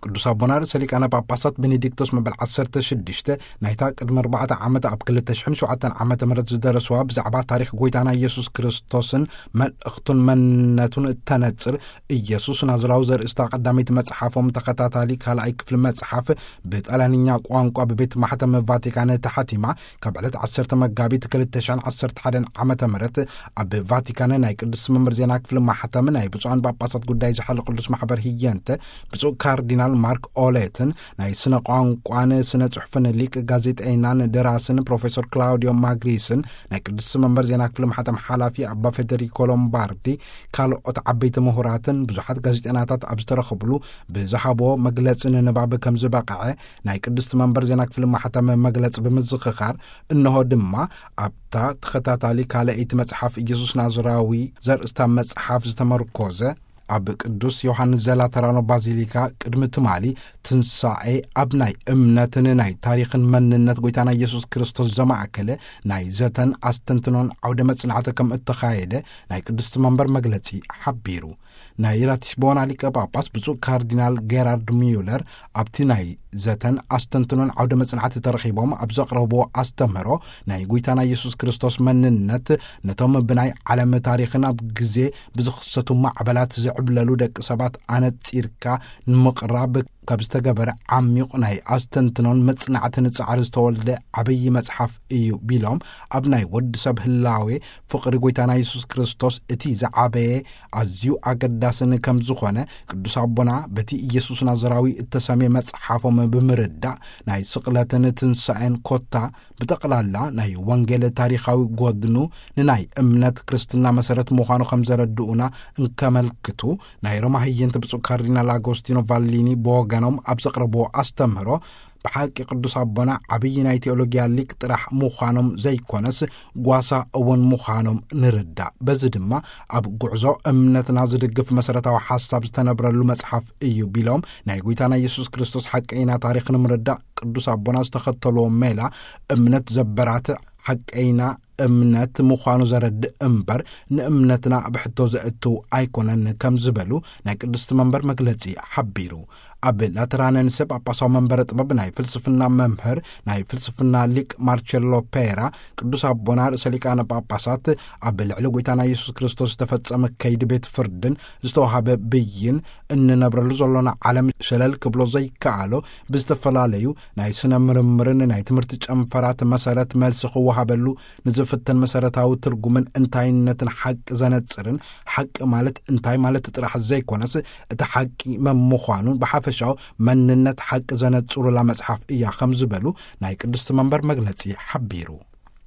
ቅዱስ ኣቦና ርእሰ ሊቃነ ጳጳሳት ቤኔዲክቶስ መበል ዓሰርተ ሽዱሽተ ናይታ ቅድሚ ኣርባዕተ ዓመት ኣብ ክልተ ሽሕን ሸውዓተን ዓመተ ምህረት ዝደረስዋ ብዛዕባ ታሪኽ ጎይታና ኢየሱስ ክርስቶስን መልእኽቱን መንነቱን እተነጽር ኢየሱስ ናዝራዊ ዘርእስታ ቀዳመይቲ መጽሓፎም ተኸታታሊ ካልኣይ ክፍሊ መጽሓፍ ብጣልያንኛ ቋንቋ ብቤት ማሕተም ቫቲካን ተሓቲማ ካብ ዕለት ዓሰርተ መጋቢት ክልተ ሽሕን ዓሰርተ ሓደን ዓመተ ምህረት ኣብ ቫቲካን ናይ ቅዱስ መንበር ዜና ክፍሊ ማሕተም ናይ ብፁዓን ጳጳሳት ጉዳይ ዝሓል ቅዱስ ማሕበር ህየንተ ብፁዕ ካርዲናል ማርክ ኦሌትን ናይ ስነ ቋንቋን ስነ ጽሑፍን ሊቅ ጋዜጠይናን ደራስን ፕሮፌሰር ክላውዲዮ ማግሪስን ናይ ቅዱስ መንበር ዜና ክፍሊ ማሕተም ሓላፊ ኣባ ፌደሪኮ ሎምባርዲ ካልኦት ዓበይቲ ምሁራትን ብዙሓት ጋዜጠናታት ኣብ ዝተረኸብሉ ብዝሃቦ መግለጺ ንንባብ ከም ዝበቕዐ ናይ ቅዱስ መንበር ዜና ክፍሊ ማሕተም መግለጺ ብምዝኽኻር፣ እንሆ ድማ ኣብታ ተኸታታሊ ካልኣይቲ መጽሓፍ ኢየሱስ ናዝራዊ ዘርእስታ መጽሓፍ ዝተመርኮዘ ኣብ ቅዱስ ዮሐንስ ዘላተራኖ ባዚሊካ ቅድሚ ትማሊ ትንሳኤ ኣብ ናይ እምነትን ናይ ታሪኽን መንነት ጎይታና ኢየሱስ ክርስቶስ ዘማእከለ ናይ ዘተን ኣስተንትኖን ዓውደ መጽናዕቲ ከም እተኻየደ ናይ ቅዱስ መንበር መግለጺ ሓቢሩ። ናይ ራቲስቦና ሊቀ ጳጳስ ብፁዕ ካርዲናል ጌራርድ ሚዩለር ኣብቲ ናይ ዘተን ኣስተንትኖን ዓውደ መጽናዕቲ ተረኺቦም ኣብ ዘቕረብዎ ኣስተምህሮ ናይ ጎይታና ኢየሱስ ክርስቶስ መንነት ነቶም ብናይ ዓለም ታሪኽን ኣብ ግዜ ብዝኽሰቱ ማዕበላት ዝዕብለሉ ደቂ ሰባት ኣነጺርካ ንምቕራብ ካብ ዝተገበረ ዓሚቕ ናይ ኣስተንትኖን መጽናዕትን ጻዕሪ ዝተወልደ ዓብዪ መጽሓፍ እዩ ቢሎም ኣብ ናይ ወዲ ሰብ ህላዌ ፍቕሪ ጎይታና የሱስ ክርስቶስ እቲ ዝዓበየ ኣዝዩ ኣገዳስን ከም ዝኾነ ቅዱስ ኣቦና በቲ ኢየሱስ ናዝራዊ እተሰምየ መጽሓፎም ብምርዳእ ናይ ስቕለትን ትንሳኤን ኮታ ብጠቕላላ ናይ ወንጌል ታሪኻዊ ጎድኑ ንናይ እምነት ክርስትና መሰረት ምዃኑ ከም ዘረድኡና እንከመልክቱ ናይ ሮማ ህየንት ብፁዕ ካርዲናል ኣጎስቲኖ ቫሊኒ ብወገኖም ኣብ ዘቕረብዎ ኣስተምህሮ ብሓቂ ቅዱስ ኣቦና ዓብዪ ናይ ቴኦሎጊያ ሊቅ ጥራሕ ምዃኖም ዘይኮነስ ጓሳ እውን ምዃኖም ንርዳእ። በዚ ድማ ኣብ ጉዕዞ እምነትና ዝድግፍ መሰረታዊ ሓሳብ ዝተነብረሉ መጽሓፍ እዩ ቢሎም ናይ ጎይታና ኢየሱስ ክርስቶስ ሓቀይና ታሪኽ ንምርዳእ ቅዱስ ኣቦና ዝተኸተልዎ ሜላ እምነት ዘበራትዕ ሓቀይና እምነት ምዃኑ ዘረድእ እምበር ንእምነትና ኣብ ሕቶ ዘእትው ኣይኮነን ከም ዝበሉ ናይ ቅድስቲ መንበር መግለጺ ሓቢሩ። ኣብ ላተራነንሰ ጳጳሳዊ መንበረ ጥበብ ናይ ፍልስፍና መምህር ናይ ፍልስፍና ሊቅ ማርቸሎ ፔራ ቅዱስ ኣቦና ርእሰ ሊቃነ ጳጳሳት ኣብ ልዕሊ ጎይታና ኢየሱስ ክርስቶስ ዝተፈጸመ ከይዲ ቤት ፍርድን ዝተዋሃበ ብይን እንነብረሉ ዘሎና ዓለም ሸለል ክብሎ ዘይከኣሎ ብዝተፈላለዩ ናይ ስነ ምርምርን ናይ ትምህርቲ ጨንፈራት መሰረት መልሲ ክወሃበሉ ንዝፍተን መሰረታዊ ትርጉምን እንታይነትን ሓቂ ዘነጽርን ሓቂ ማለት እንታይ ማለት ጥራሕ ዘይኮነስ እቲ ሓቂ መምዃኑን ብሓፈሻዊ መንነት ሓቂ ዘነጽሩላ መጽሓፍ እያ ከም ዝበሉ ናይ ቅድስቲ መንበር መግለጺ ሓቢሩ።